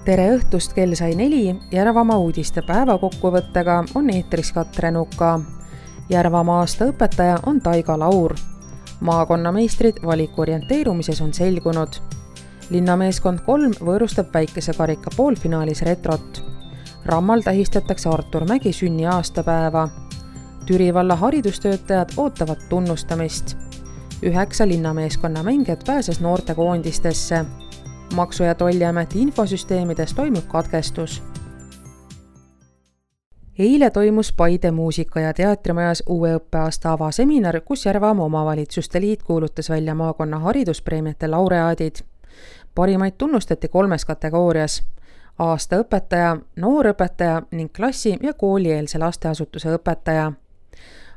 Tere õhtust, kell sai 4, Järvamaa uudiste päevakokkuvõttega on eetris Katre Nuka. Järvamaa aasta õpetaja on Taiga Laur. Maakonnameistrid valikorienteerumises on selgunud. Linnameeskond 3 võõrustab väikese karika poolfinaalis Retrot. Rammal tähistatakse Artur Mägi sünni aastapäeva. Türi valla haridustöötajad ootavad tunnustamist. 9 linnameeskonna mängijat pääses noortekoondistesse. Maksu- ja Tolliameti infosüsteemides toimub katkestus. Eile toimus Paide muusika- ja teatrimajas uue õppeaasta avaseminar, kus Järvamaa omavalitsuste liit kuulutas välja maakonna hariduspreemiate laureaadid. Parimaid tunnustati 3 kategoorias: aasta õpetaja, noorõpetaja ning klassi- ja koolieelse lasteasutuse õpetaja.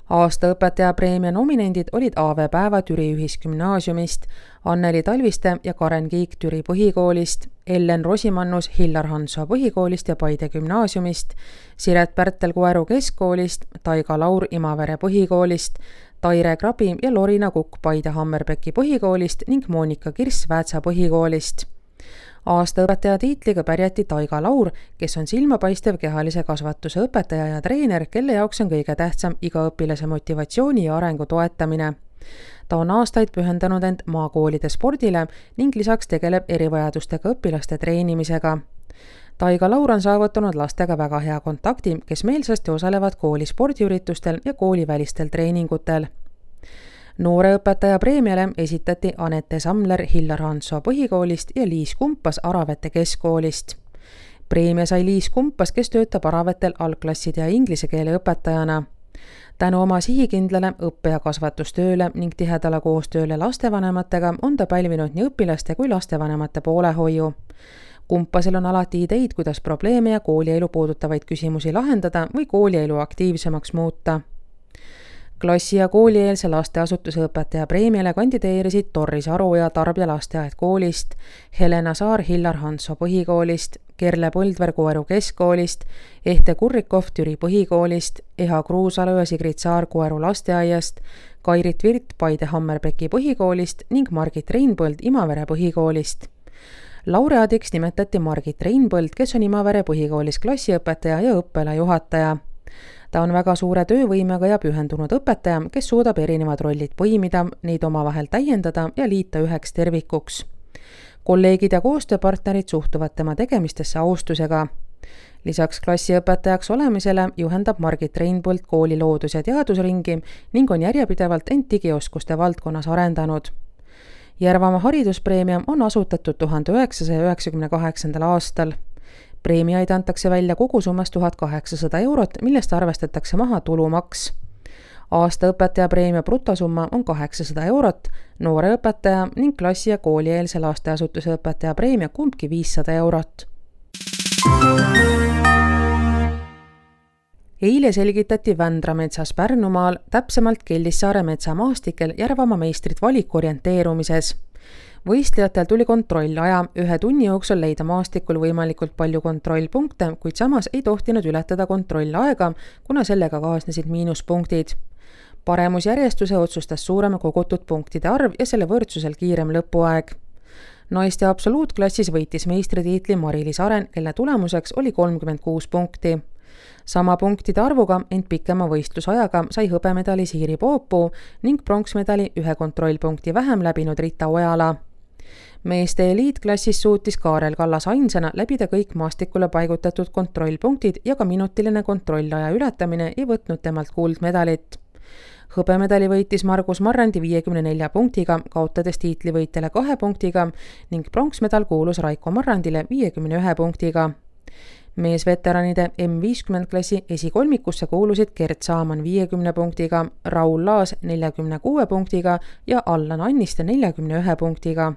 Aasta õpetaja preemia nominendid olid Aave Päeva Türi ühisgümnaasiumist, Anneli Talviste ja Karen Kiik Türi põhikoolist, Ellen Rosimannus Hillar Hansoo põhikoolist ja Paide gümnaasiumist, Siret Pärtel Koeru keskkoolist, Taiga Laur Imavere põhikoolist, Taire Krabi ja Lorina Kukk Paide Hammerbeki põhikoolist ning Moonika Kirss Väätsa põhikoolist. Aasta õpetaja tiitliga pärjati Taiga Laur, kes on silmapaistev kehalise kasvatuse õpetaja ja treener, kelle jaoks on kõige tähtsam iga õpilase motivatsiooni ja arengu toetamine. Ta on aastaid pühendanud end maakoolide spordile ning lisaks tegeleb erivajadustega õpilaste treenimisega. Taiga Laur on saavutanud lastega väga hea kontakti, kes meelsasti osalevad kooli spordiüritustel ja koolivälistel treeningutel. Noore õpetaja preemiale esitati Anette Samler Hillar Hansoo põhikoolist ja Liis Kumpas Aravete keskkoolist. Preemia sai Liis Kumpas, kes töötab Aravetel algklasside ja inglise keele õpetajana. Tänu oma sihikindlale õppe- ja kasvatustööle ning tihedale koostööle lastevanematega on ta pälvinud nii õpilaste kui lastevanemate poolehoiu. Kumpasel on alati ideid, kuidas probleeme ja koolielu puudutavaid küsimusi lahendada või koolielu aktiivsemaks muuta. Klassi- ja koolieelse lasteasutuse õpetaja preemiale kandideerisid Torris Aru ja Tarbja lasteaed koolist, Helena Saar Hillar Hansoo põhikoolist, Kerle Põldver Koeru keskkoolist, Ehte Kurrikov Türi põhikoolist, Eha Kruusalu ja Sigrid Saar Koeru lasteaiast, Kairit Virt Paide Hammerbeki põhikoolist ning Margit Reinpõld Imavere põhikoolist. Laureaadiks nimetati Margit Reinpõld, kes on Imavere põhikoolis klassiõpetaja ja õppealajuhataja. Ta on väga suure töövõimega ja pühendunud õpetaja, kes suudab erinevad rollid põimida, neid omavahel täiendada ja liita üheks tervikuks. Kolleegid ja koostööpartnerid suhtuvad tema tegemistesse austusega. Lisaks klassiõpetajaks olemisele juhendab Margit Reinpõld kooli loodus- ja teadusringi ning on järjepidevalt end digioskuste valdkonnas arendanud. Järvamaa hariduspreemia on asutatud 1998. aastal. Preemiaid antakse välja kogusummas 1800 €, millest arvestatakse maha tulumaks. Aasta õpetaja preemia brutosumma on 800 €, noore õpetaja ning klassi- ja koolieelse lasteasutuse õpetaja preemia kumbki 500 €. Eile selgitati Vändra metsas Pärnumaal, täpsemalt Kellissaare metsamaastikel Järvamaa meistrid valikorienteerumises. Võistlejatel tuli kontrollaja 1 tunni jooksul leida maastikul võimalikult palju kontrollpunkte, kuid samas ei tohtinud ületada kontrollaega, kuna sellega kaasnesid miinuspunktid. Paremusjärjestuse otsustas suurema kogutud punktide arv ja selle võrdsusel kiirem lõpuaeg. Naiste absoluutklassis võitis meistritiitli Mari-Liis Aren, kelle tulemuseks oli 36 punkti. Sama punktide arvuga, ent pikema võistlusajaga sai hõbemedali Siiri Poopuu ning pronksmedali 1 kontrollpunkti vähem läbinud Rita Ojala. Meeste eliitklassis suutis Kaarel Kallas ainsana läbida kõik maastikule paigutatud kontrollpunktid ja ka minutiline kontrollaja ületamine ei võtnud temalt kuldmedalit. Hõbemedali võitis Margus Marrandi 54 punktiga, kaotades tiitlivõitjale 2 punktiga ning pronksmedal kuulus Raiko Marrandile 51 punktiga. Meesveteranide M50 klassi esikolmikusse kuulusid Gert Saaman 50 punktiga, Raul Laas 46 punktiga ja Allan Anniste 41 punktiga.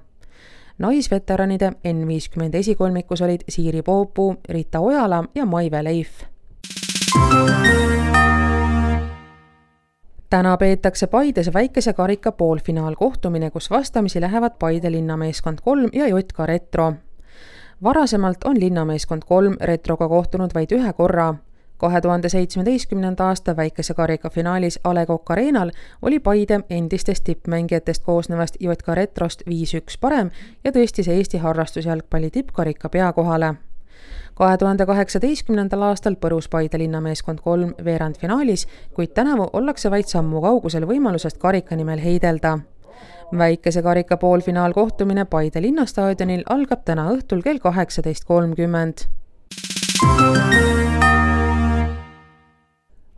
Naisveteranide N50 esikolmikus olid Siiri Poopuu, Rita Ojala ja Maive Leif. Täna peetakse Paides väikese karika poolfinaalkohtumine, kus vastamisi lähevad Paide linnameeskond 3 ja JK Retro. Varasemalt on linnameeskond 3 Retroga kohtunud vaid 1 korra. 2017. aasta väikese karika finaalis A. Le Coq Arenal oli Paide endistest tippmängijatest koosnevast JK Retrost 5-1 parem ja tõstis Eesti harrastusjalgpalli tippkarika peakohale. 2018. aastal põrus Paide linnameeskond 3 veerandfinaalis, kuid tänavu ollakse vaid sammu kaugusel võimalusest karika nimel heidelda. Väikese karika poolfinaal kohtumine Paide linnastaadionil algab täna õhtul kell 18.30.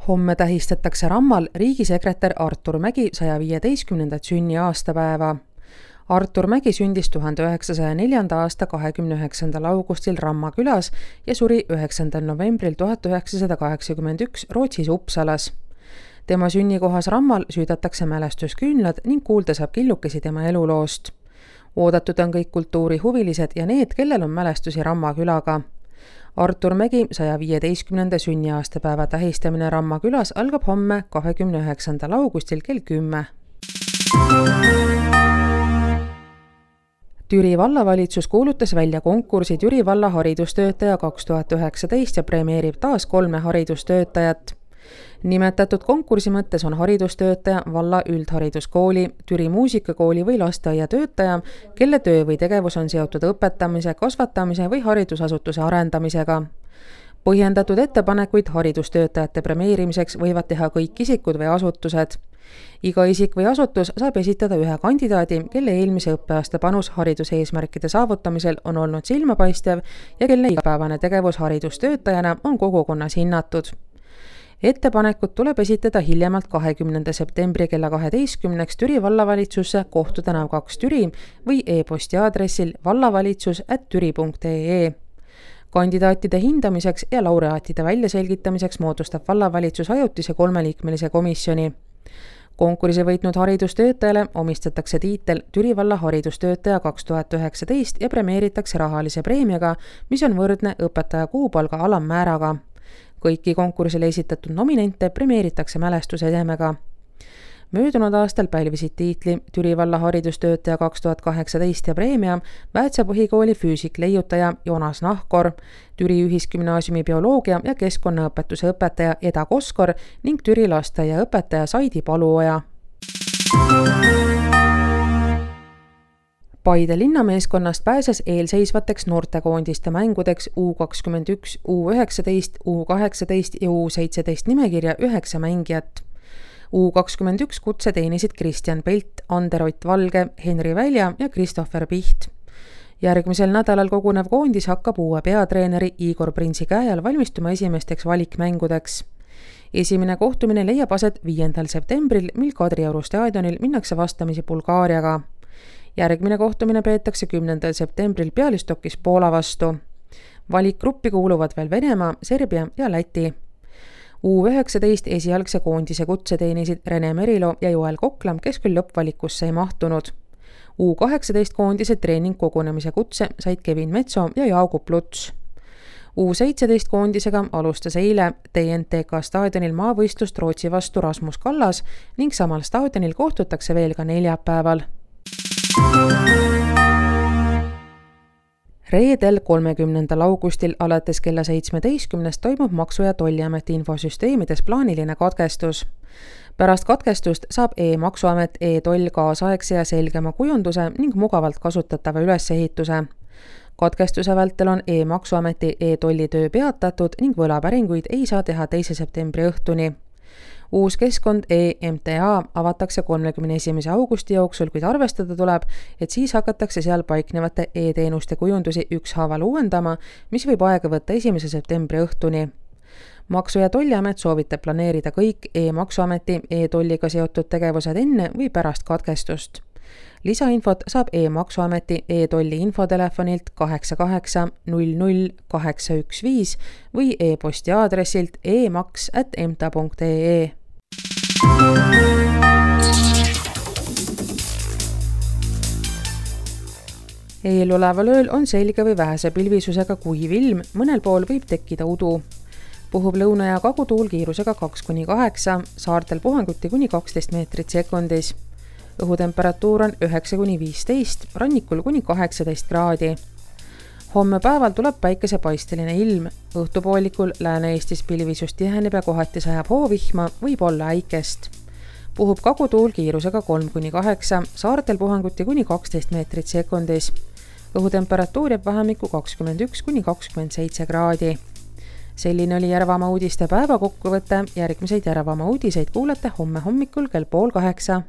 Homme tähistatakse Rammal riigisekretär Artur Mägi 115. sünniaastapäeva. Artur Mägi sündis 1904. aasta 29. augustil Ramma külas ja suri 9. novembril 1981 Rootsis Uppsalas. Tema sünnikohas Rammal süüdatakse mälestusküünlad ning kuulda saab killukesi tema eluloost. Oodatud on kõik kultuurihuvilised ja need, kellel on mälestusi Ramma külaga. Artur Mägi 115. sünniaastapäeva tähistamine Ramma külas algab homme 29. augustil kell 10. Türi vallavalitsus kuulutas välja konkursi Türi valla haridustöötaja 2019 ja premeerib taas 3 haridustöötajat. Nimetatud konkursi mõttes on haridustöötaja valla üldhariduskooli, Türi muusikakooli või lasteaia töötaja, kelle töö või tegevus on seotud õpetamise, kasvatamise või haridusasutuse arendamisega. Põhjendatud ettepanekuid haridustöötajate premeerimiseks võivad teha kõik isikud või asutused. Iga isik või asutus saab esitada ühe kandidaadi, kelle eelmise õppeaasta panus hariduseesmärkide saavutamisel on olnud silmapaistev ja kelle igapäevane tegevus haridustöötajana on kogukonnas hinnatud. Ettepanekud tuleb esitada hiljemalt 20. septembri kella 12 Türi vallavalitsusse Kohtu tänav 2 Türi või e-posti aadressil vallavalitsus@türi.ee. Kandidaatide hindamiseks ja laureaatide väljaselgitamiseks moodustab vallavalitsus ajutise 3-liikmelise komisjoni. Konkursi võitnud haridustöötajale omistatakse tiitel Türi valla haridustöötaja 2019 ja premeeritakse rahalise preemiaga, mis on võrdne õpetaja kuupalga alammääraga. Kõiki konkursile esitatud nominente premeeritakse mälestusedemega. Möödunud aastal pälvisid tiitli Türi valla haridustöötaja 2018 ja preemia Väätsa põhikooli füüsikleiutaja Jonas Nahkor, Türi ühisgümnaasiumi bioloogia ja keskkonnaõpetuse õpetaja Eda Koskor ning Türi lasteaia õpetaja Saidi Paluoja. Paide linnameeskonnast pääses eelseisvateks noortekoondiste mängudeks U21, U19, U18 ja U17 nimekirja 9 mängijat. U21 kutse teenisid Kristjan Pelt, Ander-Ott Valge, Henri Välja ja Kristoffer Piht. Järgmisel nädalal kogunev koondis hakkab uue peatreeneri Igor Prinsi käe all valmistuma esimesteks valikmängudeks. Esimene kohtumine leiab aset 5. septembril, mil Kadrioru staadionil minnakse vastamisi Bulgaariaga. Järgmine kohtumine peetakse 10. septembril Bialystokis Poola vastu. Valikgruppi kuuluvad veel Venemaa, Serbia ja Läti. U19 esialgse koondise kutse teenisid Rene Merilo ja Joel Koklam, kes küll lõppvalikusse ei mahtunud. U18 koondise treeningkogunemise kutse said Kevin Metso ja Jaagup Luts. U17 koondisega alustas eile TNTK staadionil maavõistlust Rootsi vastu Rasmus Kallas ning samal staadionil kohtutakse veel ka neljapäeval. Reedel 30. augustil alates kella 17 toimub Maksu- ja Tolliameti infosüsteemides plaaniline katkestus. Pärast katkestust saab e-maksuamet e-toll kaasaegse ja selgema kujunduse ning mugavalt kasutatava ülesehituse. Katkestuse vältel on e-maksuameti e-tolli töö peatatud ning võlapäringuid ei saa teha 2. septembri õhtuni. Uus keskkond e-MTA avatakse 31. augusti jooksul, kuid arvestada tuleb, et siis hakatakse seal paiknevate e-teenuste kujundusi ükshaaval uuendama, mis võib aega võtta 1. septembri õhtuni. Maksu- ja Tolliamet soovitab planeerida kõik e-maksuameti e-tolliga seotud tegevused enne või pärast katkestust. Lisainfot saab e-maksuameti e-tolli infotelefonilt 88 00 815 või e-posti aadressilt emaks@emta.ee. Eeloleval ööl on selge või vähese pilvisusega kuiv ilm, mõnel pool võib tekkida udu. Puhub lõuna- ja kagutuul kiirusega 2–8, saartel puhanguti kuni 12 meetrit sekundis. Õhutemperatuur on 9–15, rannikul kuni 18 kraadi. Homme päeval tuleb päikesepaisteline ilm. Õhtupoolikul Lääne-Eestis pilvisus tiheneb ja kohati sajab hoovihma, võib olla äikest. Puhub kagutuul kiirusega 3–8, saartel puhanguti kuni 12 meetrit sekundis. õhutemperatuur jääb vahemikku 21–27 kraadi. Selline oli Järvamaa uudiste päeva kokkuvõte. Järgmiseid Järvamaa uudiseid kuulete homme hommikul kell 7:30.